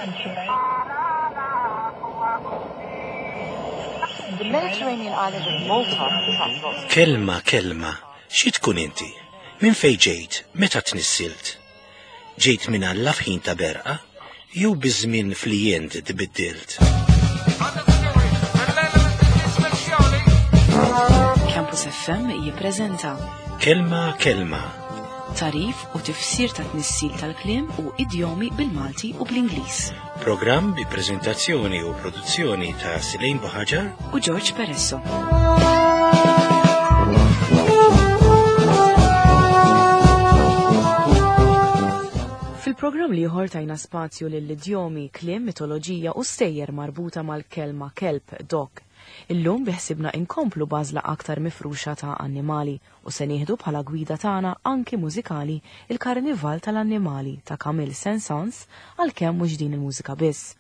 The Mediterranean island of Malta attracts lots of Kelma, kelma, xi tkun inti? Minn fejn ġejt? Meta tnissilt? Ġejt minn Alla f'ħin ta' berqa? Jew biż-żmien fl-ient tbiddilt? Campus FM jippreżenta Kelma, kelma, tarif u tifsir ta' tnissil tal-kliem u idjomi bil-Malti u bl-Ingliż. programm bi preżentazzjoni u produzzjoni ta' Silejn Buħaġar U George Peresso. Fil-programm liħor tajna spazju lill-idjomi, kliem, mitoloġija u stejjer marbuta mal-kelma kelb, dog. Illum biħsibna inkomplu bażla aktar mifruxa ta' annimali u se nieħdu bħala gwida tagħna anki mużikali il-Karnival tal-Annimali ta' Camille Saint-Saëns għalkemm mhux din il-mużika biss.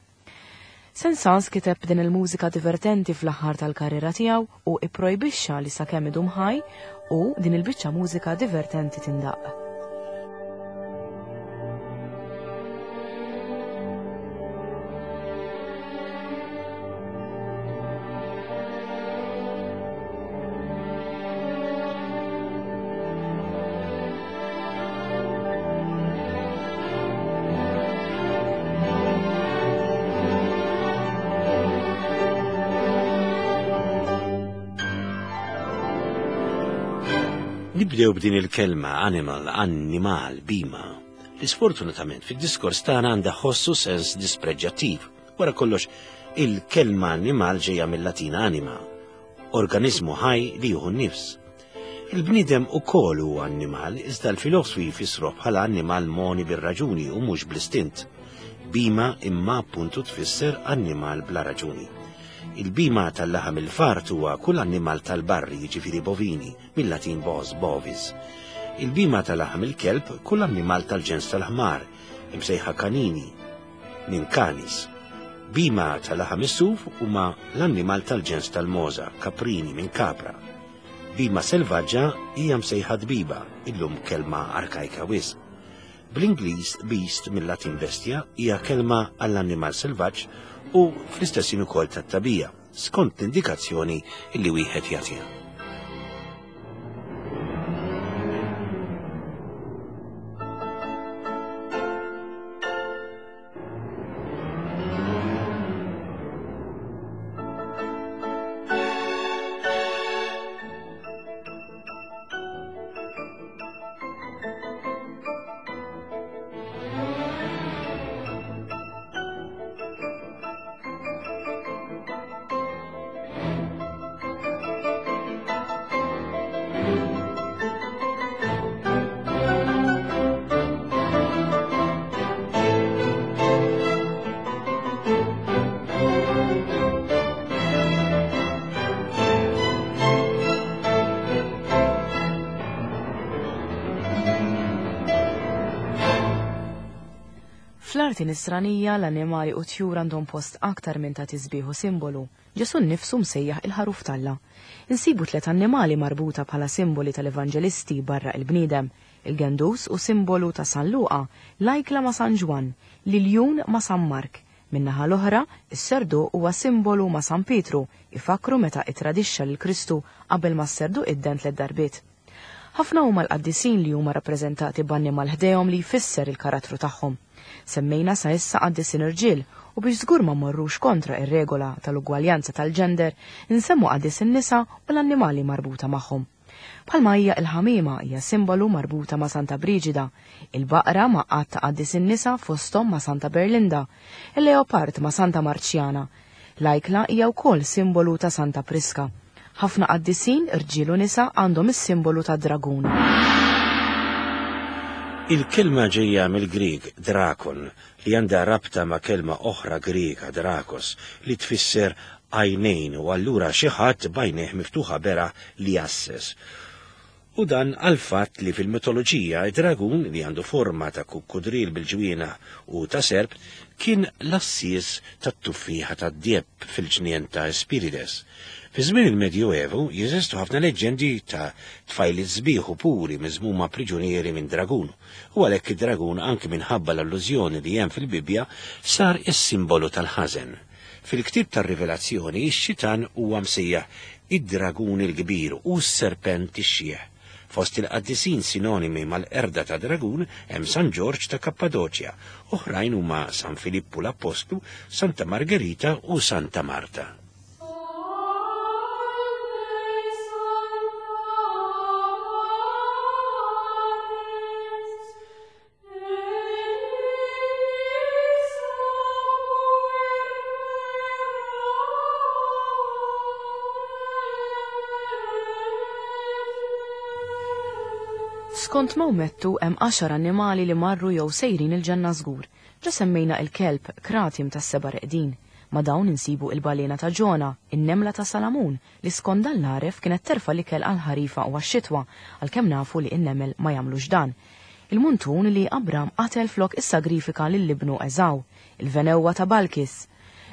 Saint-Saëns kiteb din il-mużika divertenti fl-aħħar tal-karriera tiegħu u ipprojbixxa li sakemm idum ħaj u din il-biċċa mużika divertenti tindaq. Nibdew b'din il-kelma animal, annimal, bima, li sfortunatament fid-diskors tagħna għandha ħossu sens dispreġġattiv. Wara kollox, il-kelma annimal ġejja mill-Latin anima, organizmu ħaj li jieħu n-nifs. Il-bniedem ukoll huwa annimal, iżda l-filosfi jfissruh bħala annimal moni bir-raġuni u mhux bl-istint. Bima imma appuntu tfisser annimal bla raġuni. Il-bima tal-laħam il-fart huwa kull annimal tal-barri, jiġifieri bovini, mill-Latin bos, bovis. Il-bima tal-laħam il-kelb kull annimal tal-ġens tal-ħmar, imsejħa kanini, minn canis. Bima tal-laħam is-suf huma l-annimal tal-ġens tal-moza, kaprini minn capra. Bima selvaġġa hija msejħa dbiba, illum kelma arkajka wisq. Bl-Ingliż beast mill-Latin bestia hija kelma għall-annimal selvaġġ u fl-istess ħin ukoll tat-tagħbija, skont l-indikazzjoni li wieħed jagħtiha. Fl-arti nisranija l-annimali u tjur għandhom post aktar minn ta' tisbieħ u simbolu. Ġesu nnifsu msejjaħ il-ħaruf t'Alla. Insibu tliet annimali marbuta bħala simboli tal-evanġelisti barra il-bniedem. Il-gendus u simbolu ta' San Luqa, l-ajkla ma' San Ġwann, l-iljun ma' San Mark. Min-naħa l-oħra, is-serdu huwa simbolu ma' San Pietru, ifakru meta itradixxa lil Kristu qabel ma s-serdu idden tliet darbiet. Ħafna huma l-qaddisin li huma rappreżentati b'annimal ħdejhom li jfisser il-karattru tagħhom. Semmejna sa issa qaddisin irġiel u biex żgur ma mmorrux kontra ir-regola tal-ugwaljanza tal-ġender, insemmu qaddisin nisa u l-annimali marbuta magħhom. Bħalma hija il-ħamiema hija simbolu marbuta ma' Santa Briġida, il-baqra ma' għadd ta' qaddisin nisa fosthom ma' Santa Berlinda, il-leopard ma' Santa Marċjana. L-ajkla hija wkoll simbolu ta' Santa Priska. Ħafna qaddisin, irġiel u nisa għandhom is-simbolu ta' dragun. Il-kelma ġejja mill-Grieg drakon li għandha rabta ma' kelma oħra Griega drakos li tfisser għajnejn u allura xi ħadd b'għajnejh miftuħa beraħ li jgħasses. U dan għall-fatt li fil-mitoloġija id-dragun li għandu forma ta' kukkudril bil-ġwienaħ u ta' serp kien l-għassies tat-tuffieħa tad-djeb fil-ġnien ta' Espirides. Fi żmien il-Medjuevu jeżistu ħafna leġġendi ta' tfajliet sbieħ u puri miżmuma priġunieri minn dragun, u għalhekk id-dragun anki minħabba l-allużjoni li hemm fil-Bibbja sar is-simbolu tal-ħażen. Fil-ktieb tar-Rivelazzjoni x-xitan huwa msejjaħ id-dragun il-kbir u s-serpent ix-xiħ. Fost il-qaddisin sinonimi mal-qerda ta' dragun hemm San Ġorġ ta' Kappadoċja, oħrajn huma San Filippu l-Appostlu, Santa Margherita u Santa Marta. Skont Mawmettu hemm għaxar annimali li marru jew sejrin il-ġenna żgur. Ġa semmejna il-kelb kratim tas-seba' reqdin. Ma' dawn insibu il-balena ta' Ġona, in-nemla ta' Salamun, li skont dan l-għaref kienet terfa' l-ikel għall-ħarifa u għax-xitwa, għalkemm nafu li n-nemel ma jagħmlux dan. Il-muntun li Abram qatel flok issagrifika lil ibnu Eżaw, il-venewwa ta' Balkis.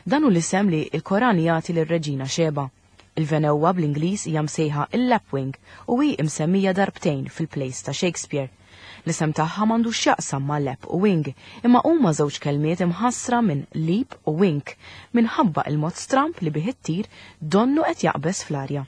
Dan hu l-isem li l-Koran jagħti lir-reġina Xeba. Il-venewwa bl-Ingliż hija msejħa il-lapwing u hi msemmija darbtejn fil-plays ta' Shakespeare. L-isem tagħha m'għandux x'jaqsam ma' lap u wing, imma huma żewġ kelmiet imħassra minn leap u wink minħabba il-mod stramb li bih ittir donnu qed jaqbeż fl-arja.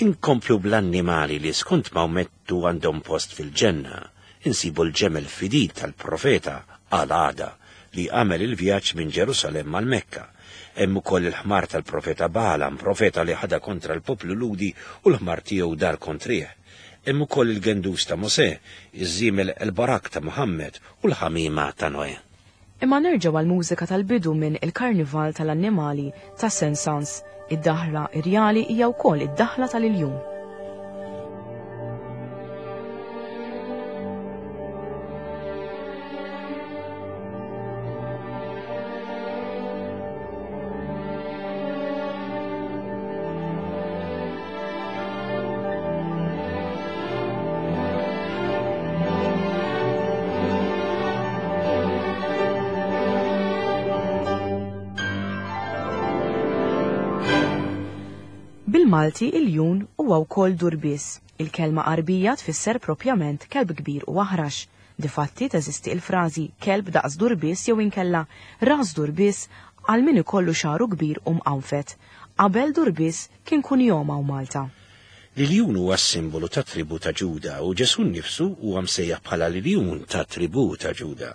Inkomplu bl-annimali li skont Mawmettu għandhom post fil-ġenna. Insibu l-ġemel fidil tal-profeta Al-Għada li għamel il-vjaġġ minn Ġerusalemm għal Mekka. Hemm ukoll il-ħmar tal-profeta Balaam, profeta li ħadha kontra l-poplu Lhudi u l-ħmar tiegħu dar kontrih. Hemm ukoll il-gendus ta' Mosè, iż-żiemel El-Barak ta' Muhammed u l-ħamiema ta' Noè. Imma nerġgħu għall-mużika tal-bidu minn Il-Karnival tal-Annimali ta' Saint-Saëns. Id-daħla irjali hija wkoll id-daħla tal-iljun. Bil-Malti iljun huwa wkoll durbies. Il-kelma Għarbija tfisser propjament kelb kbir u aħrax. Difatti teżisti il-frażi kelb daqs durbies jew inkella ras durbies għal min ikollu xagħru kbir u mqanfed. Qabel durbies kien kunjom hawn Malta. L-iljun huwa s-simbolu tat-tribù ta' Ġuda u Ġesù nnifsu huwa msejjaħ bħala l-iljun tat-tribù ta' Ġuda.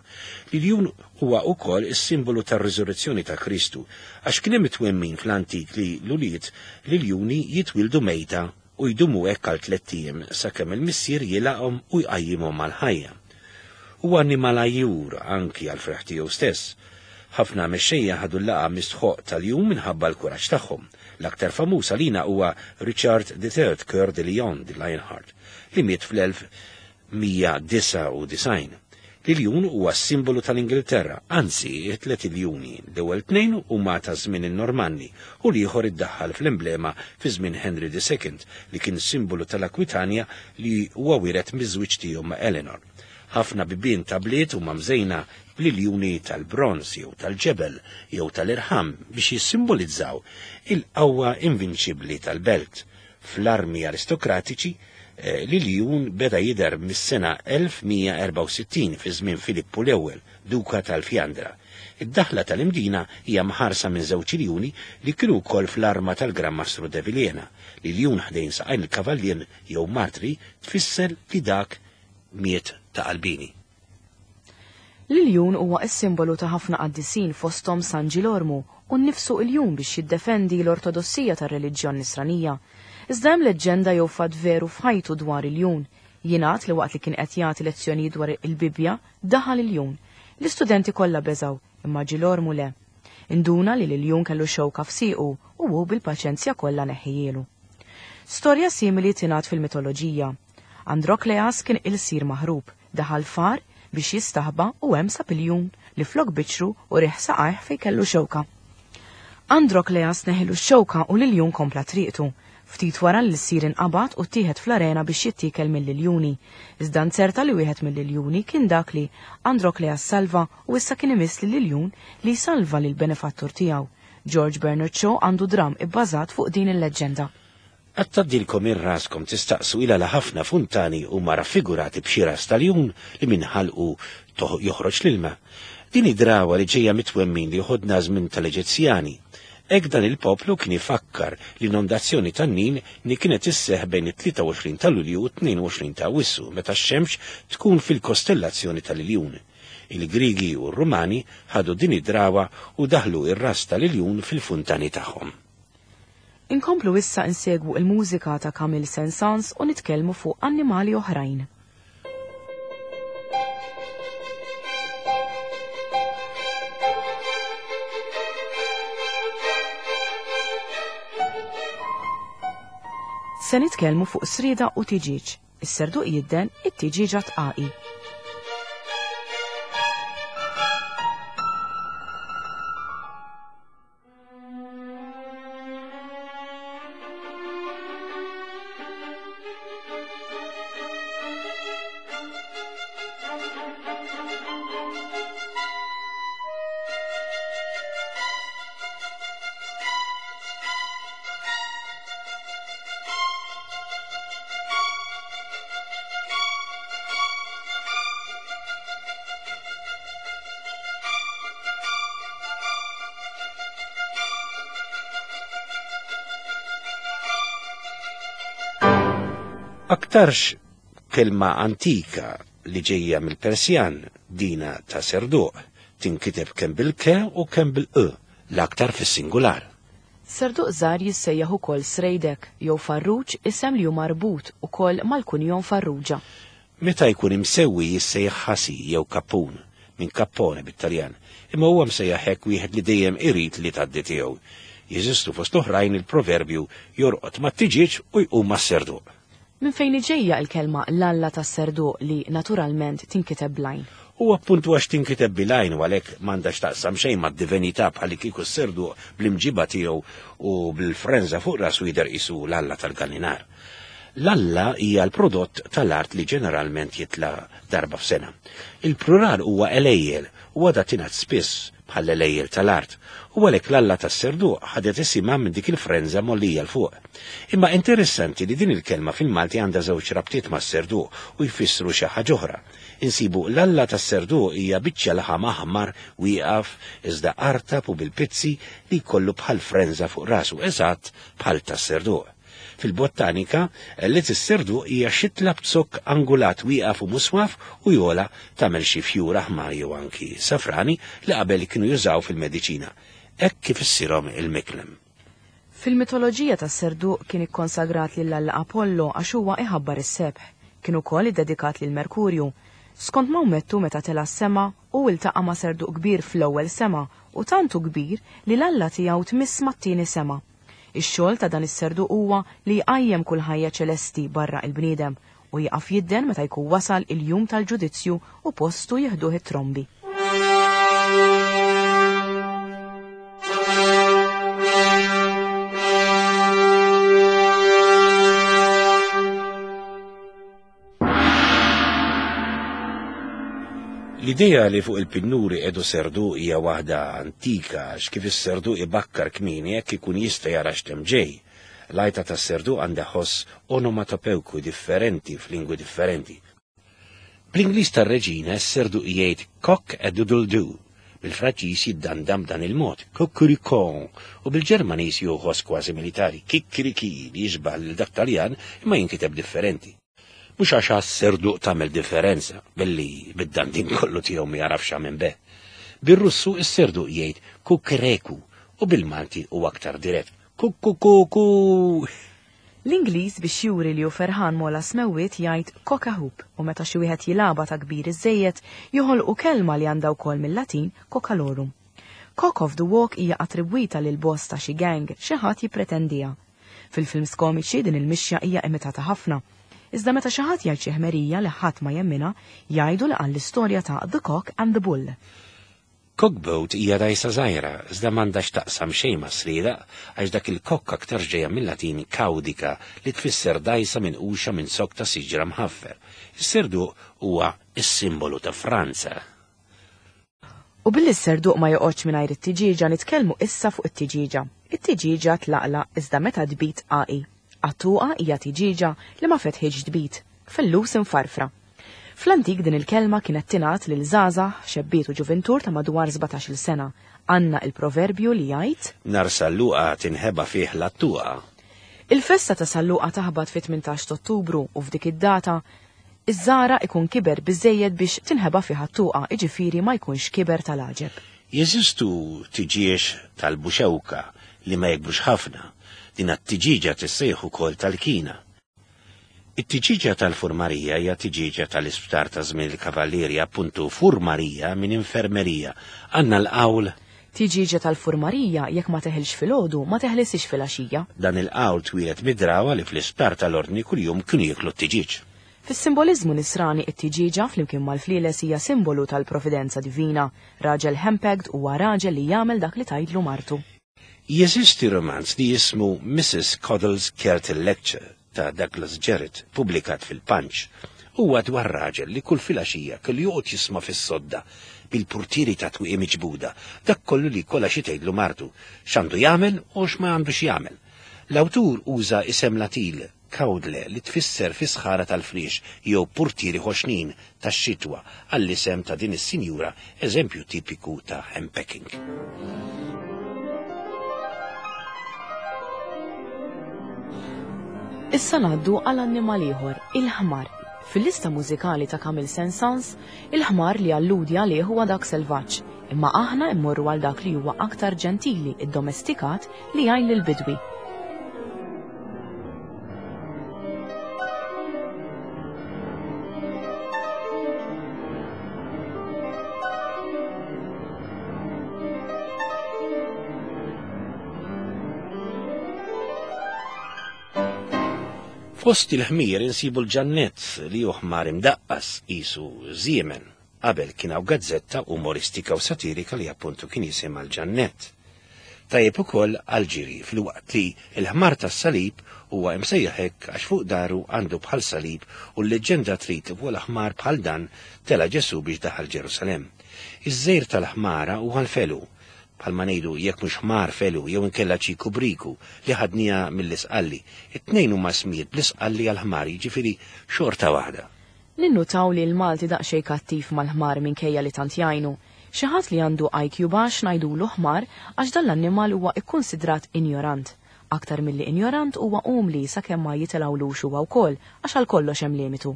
L-iljun huwa wkoll is-simbolu tar-riżurrezzjoni ta' Kristu, għax kien hemm it-twemmin fl-antik li l-ulied l-iljuni jitwieldu mejta u jdumu hekk għal tlett ijiem sakemm il-missier jilgħaqhom u jqajjimhom għall-ħajja. Huwa annimal għajjur anki għall-ferħ tiegħu stess. Ħafna mexxejja ħadu l-laqgħa mistħoqq tal-jum minħabba l-kuraġġ tagħhom. L-aktar famuż għalina huwa Richard the Third, Coeur de Lion, the Lionheart, li miet fl-1199. L-iljun huwa s-simbolu tal-Ingilterra, anzi, it-tliet iljuni, l-ewwel tnejn huma ta' żmien in-Normanni u l-ieħor iddaħħal fl-emblema fi żmien Henry the Second li kien simbolu tal-Akwitanja li huwa wiret miż-żwieġ tiegħu ma' Eleanor. Ħafna bibien ta' bliet huma mżejna bl-iljuni tal-bronż jew tal-ġebel jew tal-irħam biex jissimbolizzaw il-qawwa invinċibbli tal-belt. Fl-armi aristokratiċi, l-iljun beda jidher mis-sena 1164 fi żmien Filippu l-Ewwel, Duka tal-Fjandra. Id-daħla tal-Imdina hija mħarsa minn żewġ iljuni li kienu wkoll fl-arma tal-Gran Mastru de Vilhena. L-iljun ħdejn saqajn il-kavallier jew martri tfisser li dak miet ta' qalbieni. L-iljun huwa s-simbolu ta' ħafna qaddisin fosthom San Ġilormu u nnifsu iljun biex jiddefendi l-ortodossija tar-reliġjon Nisranija. Iżda hemm leġġenda jew fatt veru f'ħajtu dwar iljun. Jingħad li waqt li kien qed jagħti lezzjonijiet dwar il-Bibbja, daħal iljun. L-istudenti kollha beżgħu, imma Ġilormu le. Induna li l-iljun kellu xewka f'siequ u hu bil-paċenzja kollha neħħijielu. Storja simili tingħad fil-mitoloġija. Androkleas kien ilsir maħrub, daħal f'għar biex jistaħba u hemm sab iljun li flok biċru u riħ saqajh fejn kellu xewka. Androkleas neħilu x-xewka u l-iljun kompla triqtu. Ftit wara l-ilsir inqabad u ttieħed fl-arena biex jittiekel mill-iljuni. Iżda nzerta li wieħed mill-iljuni kien dak li Androkleas salva u issa kien imiss lill-iljun li jsalva lill-benefattur tiegħu. George Bernard Shaw għandu dramm ibbażat fuq din il-leġġenda. Qatt tgħaddilkom minn raskom tistaqsu il għala ħafna funtani huma raffigurati b'xi ras ta' ljun li minn ħalqu joħroġ l-ilma? Din hi drawwa li ġejja mit-twemmin li joħodna għaż-żmien tal-Eġizzjani. Hekk dan il-poplu kien ifakkar l-inondazzjoni tan-Nil li kienet isseħħ bejn it-23 ta' Lulju u t-22 ta' Awwissu meta x-xemx tkun fil-kostellazzjoni tal-Iljun. Il-Griegi u r-Rumani ħadu din id-drawwa u daħħlu r-ras tal-iljun fil-funtani tagħhom. Inkomplu issa insegwu il-mużika ta' Camille Saint-Saëns u nitkellmu fuq annimali oħrajn. Se nitkellmu fuq srieda u tiġieġ. Is-serduq jidden, it-tiġieġa tqaqi. Aktarx kelma antika li ġejja mill-Persjan, dina ta' serduq, tinkiteb kemm bil-ke u kemm bil-q, l-aktar fis-singular. Serduq żgħar jissejjaħ ukoll srejdek jew farruġ isem li hu marbut ukoll mal-kunjom Farrugia. Meta jkun imsewwi jissejjaħ ħasi jew kappun, minn cappone bit-Taljan, imma huwa msejjaħ hekk wieħed li dejjem irid li tgħaddi tiegħu. Jeżistu fost l-oħrajn il-proverbju jorqod mat-tiġieġ u jqum mas-serduq. Minn fejn hi ġejja l-kelma l-alla tas-serduq li, naturalment, tinkiteb bl-għajn? U appuntu għax tinkiteb bil-għajn u għalhekk m'għandha x'taqsam xejn mad-divinità bħallikieku s-serduq bl-imġiba tiegħu u bil-frenża fuq rasu jidher qisu l-alla tal-gallinar. L-alla hija l-prodott tal-art li ġeneralment jitla' darba f'sena. Il-plural huwa għelejjel u għadha tingħad spiss bħall-għelejjel tal-art, u għalhekk l-alla tas-serduq ħadet isimha minn dik il-frenża mgħollija 'l fuq. Imma interessanti li din il-kelma fil-Malti għandha żewġ rabtiet mas-serduq u jfissru xi ħaġa oħra. Insibu l-alla tas-serduq hija biċċa laħam aħmar wieqaf iżda artab u bil-pizzi li jkollu bħal frenża fuq rasu eżatt bħal tas-serduq. Fil-bottanika, għelliet is-serduq hija xitla b'zokk angulat wieqaf u muswaf u jogħla tagħmel xi fjur aħmar jew anki safrani li qabel kienu jużaw fil-mediċina, hekk kif issirhom il-miklem. Fil-mitoloġija tas-serduq kien ikkonsagrat lill-alla Apollo għax huwa iħabbar is-sebħ. Kien ukoll iddedikat lil Merkurju. Skont Mawmettu meta tela' s-sema, hu iltaqa' ma' serduq kbir fl-ewwel sema u tant hu kbir li l-alla tiegħu tmiss mat-tieni sema. Ix-xogħol ta' dan is-serduq huwa li jqajjem kull ħajja ċelesti barra il-bniedem u jieqaf jidden meta jkun wasal il-jum tal-ġudizzju u postu jieħduh it-trombi. L-idea li fuq il-pinnuri qiegħdu serduq hija waħda antika għax kif is-serduq ibakkar kmieni hekk ikun jista' jara x'temm ġej. L-għajta tas-serduq għandha ħoss onomatopewku differenti f'lingwi differenti. Bl-Ingliż tar-reġina s-serduq jgħid cock a doodle doo, bil-Franċiż jiddandam b'dan il-mod, cucuricon, u bil-Ġermaniż jieħu ħoss kważi militari, kikkiriki, li jixbah lil dak Taljan imma jinkiteb differenti. Mhux għax għas-serduq tagħmel differenza, billi bid-dandin kollu tiegħu ma jagħrafx x'għamel beh. Bir-Russu s-serduq jgħid kukreku u bil-Malti hu aktar dirett, kukkukuku! L-Ingliż biex juri li hu ferħan m'ogħla smewwiet jgħid cock-a-hoop u meta xi wieħed jilgħabha ta' kbir iżżejjed joħolqu kelma li għandha wkoll mil-Latin coccalorum. Cock of the walk hija attribwita lil boss ta' xi gang, xi ħadd jippretendiha. Fil-films komiċi din il-mixja hija imitata ħafna. Iżda meta xi ħadd jgħid xi ħmerija li ħadd ma jemminha, jgħidu li qal l-istorja ta' The Cock and the Bull. Cockboat hija dgħajsa żgħira, iżda m'għandha x'taqsam xejn ma' srieraq għax dak il-kokk aktarx ġejja mil-Latin caudica li tfisser dgħajsa minquxa minn zokk ta' siġra mħaffer. Is-serduq huwa s-simbolu ta' Franza. U billi s-serduq ma joqgħodx mingħajr it-tiġieġa nitkellmu issa fuq it-tiġieġa. It-tiġieġa tlaqlaq iżda meta tbid qaqi. Qattuqa hija tiġieġa li ma fetħitx tbid, fellus imfarfra. Fl-antik din il-kelma kienet tingħad lil żgħażagħ, xebbiet u ġuvintur ta' madwar sbatax-il sena. Għandna il-proverbju li jgħid. Nhar Salluqa tinħeba fih l-għattuqa. Il-festa ta' Salluqa taħbat fit-18 t'Ottubru u f'dik id-data Iż-żgħara ikun kiber biżżejjed biex tinħeba fih għat-tuqa, jiġifieri ma jkunx kiber tal-għaġeb. Jeżistu tiġieġ tal-buxewka li ma jikbrux ħafna. Din t-tiġieġa tissejjaħ ukoll tal-kina. It-tiġieġa tal-furmarija hija tiġieġa tal-isptar ta' żmien il-Kavallieri, appuntu furmarija minn infermerija. Għandna l-qawl. Tiġieġa tal-furmarija jekk ma teħilx filgħodu ma teħlisix filgħaxija. Dan il-qawl twieled mid-drawwa li fl-isptar tal-Ordni kuljum kienu jieklu t-tiġieġ. Fis-simboliżmu Nisrani it-tiġieġa flimkien mal-flieles hija simbolu tal-providenza divina. Raġel henpecked huwa raġel li jagħmel dak li tgħidlu martu. Jeżisti rumanz li jismu Mrs Coddle's Curtain Lecture ta' Douglas Jerrold pubblikat fil-Punch. Huwa dwar raġel li kull filgħaxija kellu joqgħod jisma' fis-sodda bil-purtieri ta' twieqi miġbuda dak kollu li jkollha xi tgħidlu martu, x'għandu jagħmel u x'ma għandux jagħmel. L-awtur uża isem Latil Cowdle li tfisser fi sħara tal-friex jew purtieri ħoxnin tax-xitwa għall-isem ta' din is-sinjura eżempju tipiku ta' henpecking. Issa ngħaddu għal annimal ieħor, il-ħmar. Fil-lista mużikali ta' Camille Saint-Saëns, il-ħmar li alludi għalih huwa dak selvaġġ, imma aħna immorru għal dak li huwa aktar ġentili, iddomestikat, li jgħin lill-bidwi. Fost il-ħmir insibu l-ġannett li hu ħmar imdaqqas qisu żiemen. Qabel kien hawn gazzetta umoristika u satirika li appuntu kien jisimha l-Ġannett. Tajjeb ukoll għall-ġiri filwaqt li l-ħmar tas-salib huwa imsejjaħ hekk għax fuq daru għandu bħal salib u l-leġġenda trid li fuq l-ħmar bħal dan tela' Ġesù biex daħal Ġerusalemm. Iż-żgħir tal-ħmara huwa l-felu, bħalma ngħidu jekk mhux ħmar felu jew inkella ċiku briku li ħadniha mill-Isqalli. It-tnejn huma ismijiet bl-Isqalli għall-ħmar jiġifieri xorta waħda. Ninnutaw li l-Malti daqsxejn kattiv mal-ħmar minkejja li tant jgħinu. Xi ħadd li għandu IQ baxx ngħidulu ħmar għax dan l-annimal huwa ikkunsidrat injorant. Aktar milli injorant huwa umli sakemm ma jitilgħulux huwa wkoll għax għal kollox hemm limitu.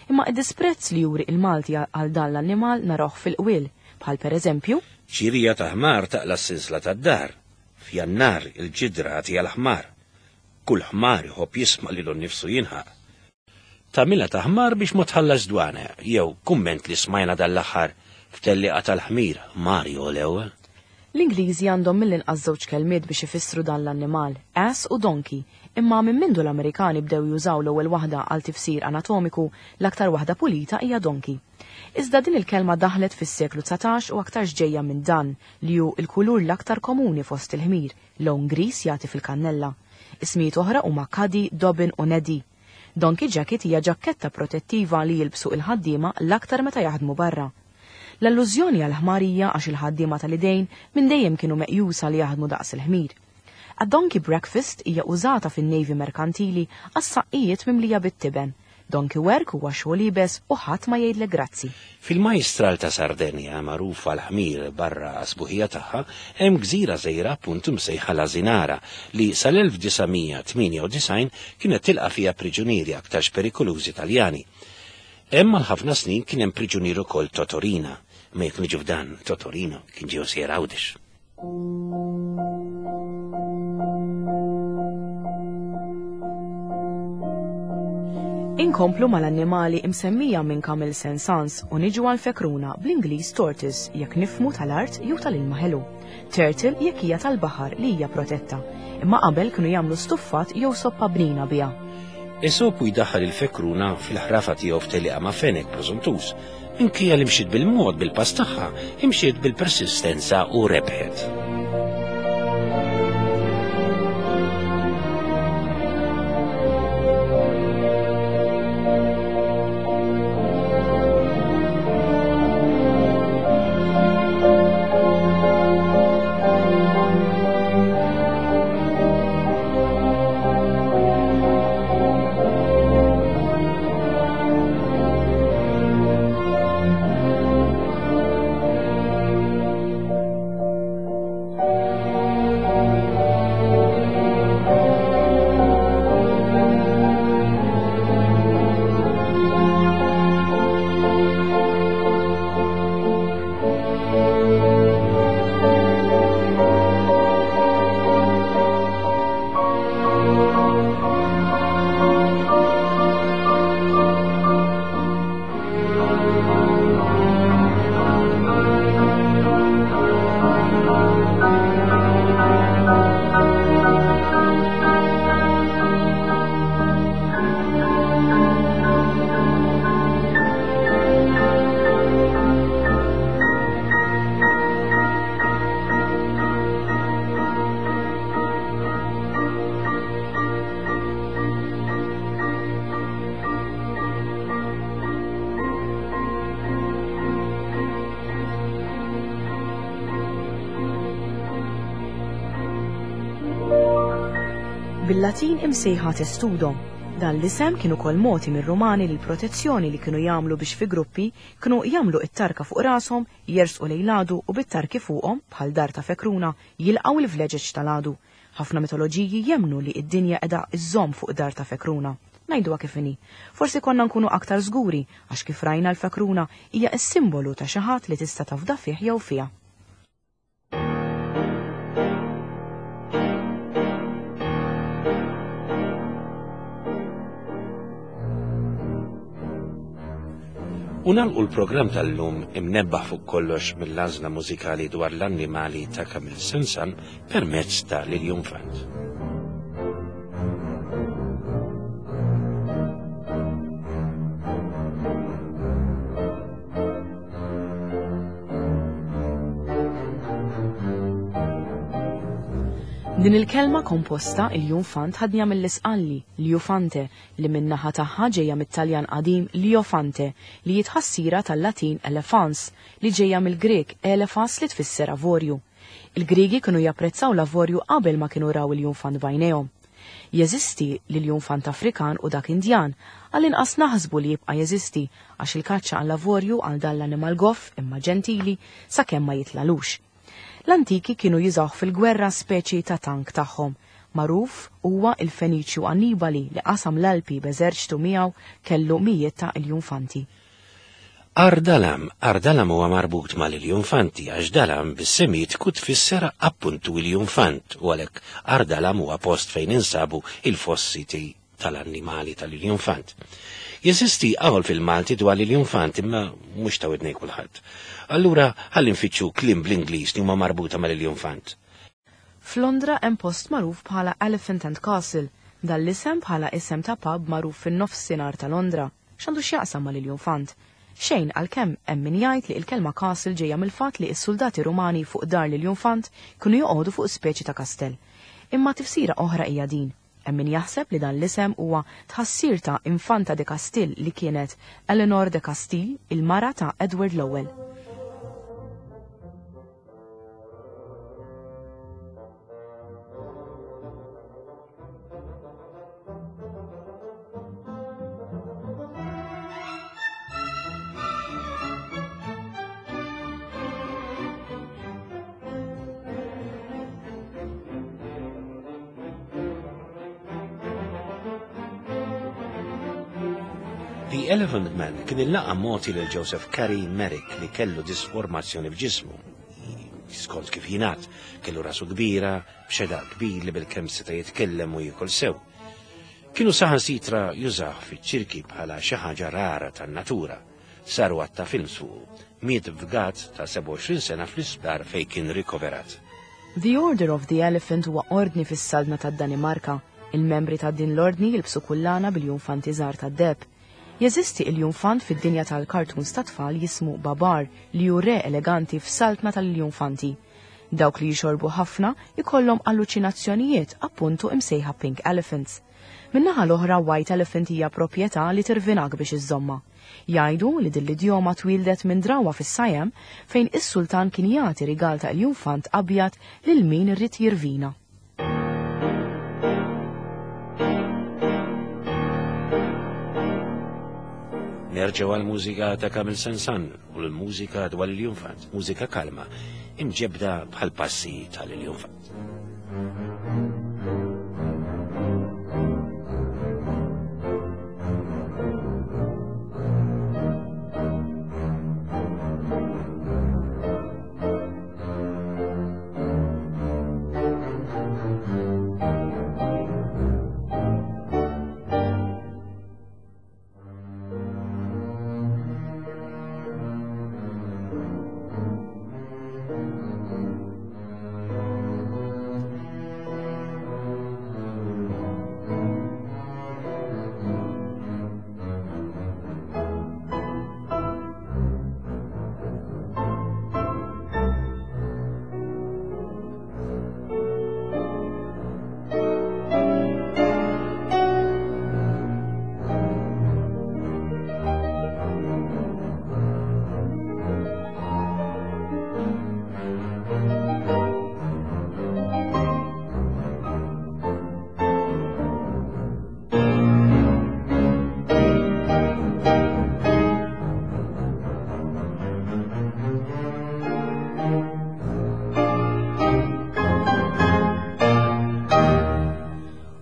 Imma id-disprezz li juri il-Malti għal dan l-annimal narawh fil-qwiel, bħal per eżempju. Ċirija ta' ħmar taqla' s-sinsla tad-dar. F'Jannar il-ġidra agħtiha l-ħmar. Kull ħmar iħobb jisma' lilu nnifsu jinħaq. Tagħmilha ta' ħmar biex ma tħallasx dwana, jew kumment li smajna dan l-aħħar f'tellieqa tal-ħmir, Mario l-ewwel. L-Ingliżi għandhom mill-inqas żewġ kelmiet biex ifissru dan l-annimal, ass u donkey, imma minn mindu l-Amerikani bdew jużaw l-ewwel waħda għal tifsir anatomiku, l-aktar waħda pulita hija donkey. Iżda din il-kelma daħlet fis-seklu 19 u aktarx ġejja minn dan, li hu l-kulur l-aktar komuni fost il-ħmir, lewn griż jagħti fil-kannella. Ismijiet oħra huma Cuddy, Dobbin u Neddy. Donkey jacket hija ġakketta protettiva li jilbsu il-ħaddiema l-aktar meta jaħdmu barra. L-allużjoni għal ħmar hija għax il-ħaddiema tal-idejn minn dejjem kienu meqjusa li jaħdmu daqs il-ħmir. A donkey breakfast hija użata fin-Navy merkantili għas-saqqijiet mimlija bit-tiben. Donkey work huwa xogħol iebes u ħadd ma jgħidlek grazzi. Fil-Majstral ta' Sardenja, magħruf għall-ħmir barra għas-sbuħija tagħha, hemm gżira żgħira appuntu msejħa l-Asinara li sal-1998 kienet tilqa' fiha priġunieri aktarx perikolużi Taljani. Hemm għal ħafna snin kien hemm priġunier ukoll Totorina, imma jekk niġu f'dan, Totorino kien ġie sejjer Għawdex. Inkomplu mal-annimali imsemmija minn Camille Saint-Saëns u niġu għal fekruna bl-Ingliż tortoise jekk nifmu tal-art jew tal-ilma ħelu. Turtle jekk hija tal-baħar li hija protetta. Imma qabel kienu jagħmlu stuffat jew soppa bnina biha. Esopu jdaħħal il-fekruna fil-ħrafa tiegħu f'tellieqa ma' fenek preżuntuż. Minkejja li mxiet bil-mod bil-pass tagħha, imxiet bil-persistenza u rebħet. Bil-Latin imsejħa testudo. Dan l-isem kien ukoll mogħti mir-Rumani lill-protezzjoni li kienu jagħmlu biex fi gruppi kienu jagħmlu t-tarka fuq rashom, jersqu lejn l-għadu u bit-tarki fuqhom, bħal dar ta' fekruna, jilqgħu l-vleġeġ tal-għadu. Ħafna mitoloġiji jemmnu li d-dinja qiegħda żżomm fuq dar ta' fekruna. Ngħiduha kif inhi. Forsi konna nkunu aktar żguri għax kif rajna l-fekruna hija s-simbolu ta' xi ħadd li tista' tafda fih jew fiha. U nagħlqu l-programm tal-lum imnebbaħ fuq kollox mill-għażla mużikali dwar l-annimali ta' Camille Saint-Saëns permezz ta' l-Iljunfant. Din il-kelma komposta il-junfant ħadniha mill-Isqalli, liufante, li min-naħa tagħha ġejja mit-Taljan qadim liofante, li hi tħassira tal-Latin elefans, li ġejja mill-Grieg elefas li tfisser avorju. Il-Griegi kienu japprezzaw l-avorju qabel ma kienu raw il-junfant b'għajnejhom. Jeżisti l-iljunfant Afrikan u dak Indjan, għall-inqas naħsbu li jibqa' jeżisti għax il-kaċċa għall-avorju għal dan l-annimal goff imma ġentili sakemm ma jitlalux. L-antiki kienu jużawh fil-gwerra speċi ta' tank tagħhom. Magħruf huwa il-Feniċju Annibali li qasam l-Alpi b'eżerċtu miegħu kellu mijiet ta' iljunfanti. Għar Dalam, Għar Dalam huwa marbut mal-iljunfanti għax Dalam bis-Semitiku tfisser appuntu iljunfant u għalhekk Għar Dalam huwa post fejn insabu il-fossiti tal-annimali tal-iljunfant. Jeżisti qawl fil-Malti dwar l-iljunfant imma mhux ta' widnej kulħadd. Allura ħalli nfittxu kliem bl-Ingliż li huma marbuta mal-iljunfant. F'Londra hemm post magħruf bħala Elephant and Castle. Dan l-isem bħala isem ta' pub magħruf fin-nofsinhar ta' Londra. X'għandu x'jaqsam mal-iljunfant? Xejn għalkemm hemm min jgħid li il-kelma castle ġejja mill-fatt li s-suldati Rumani fuq dar l-iljunfant kienu joqogħdu fuq speċi ta' kastell. Imma tifsira oħra hija din. Hemm min jaħseb li dan l-isem huwa tħassir ta' Infanta de Castile li kienet Eleanor de Castile, il-mara ta' Edward l-Ewwel. The Elephant Man kien il-laqam mogħti lil Joseph Carey Merrick li kellu disformazzjoni f'ġismu. Skont kif jingħad, kellu rasu kbira, b'xedaq kbir li bilkemm seta' jitkellem u jiekol sew. Kienu saħansitra jużawh fiċ-ċirki bħala xi ħaġa rara tan-natura. Saru għadd ta' films fuqu. Miet fgat ta' 27 sena fl-isptar fejn kien rikoverat. The Order of the Elephant huwa ordni fis-Saltna tad-Danimarka. Il-membri ta' din l-ordni jilbsu kullana bil-junfanti żgħar tad-deheb. Jeżisti iljunfant fid-dinja tal-cartoons tat-tfal jismu Babar li hu re eleganti f'saltna tal-iljunfanti. Dawk li jixorbu ħafna jkollhom alluċinazzjonijiet appuntu imsejħa pink elephants. Min-naħa l-oħra white elephant hija proprjetà li tirvinak biex iżżommha. Jgħidu li din l-idjoma twieldet minn drawwa fis-Siam fejn is-sultan kien jagħti rigal ta' iljunfant abjad lil min ried jirvina. Nerġgħu għall-mużika ta' Camille Saint-Saëns u l-mużika dwar il-Jumfant, mużika kalma, imġebda bħal passi tal-Jumfant.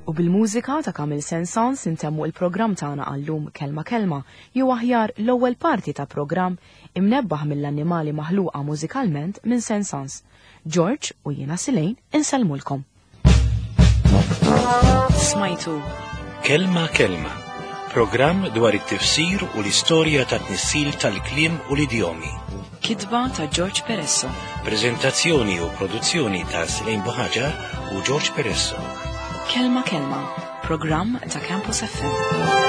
U bil-mużika ta' Camille Saint-Saëns intemmu il-programm tagħna għallum Kelma Kelma jew aħjar l-ewwel parti ta' programm imnebbaħ mill-annimali maħluqa mużikalment minn Saint-Saëns. George u jiena Silejn insellmulkom. Smajtu Kelma Kelma, programm dwar it-tifsir u l-istorja ta' tnissil tal-kliem u l-idjomi. Kitba ta' George Peresso. Prezentazzjoni u produzzjoni ta' Silejn Buħaġar u George Peresso. Kelma Kelma, programm ta' Campus FM.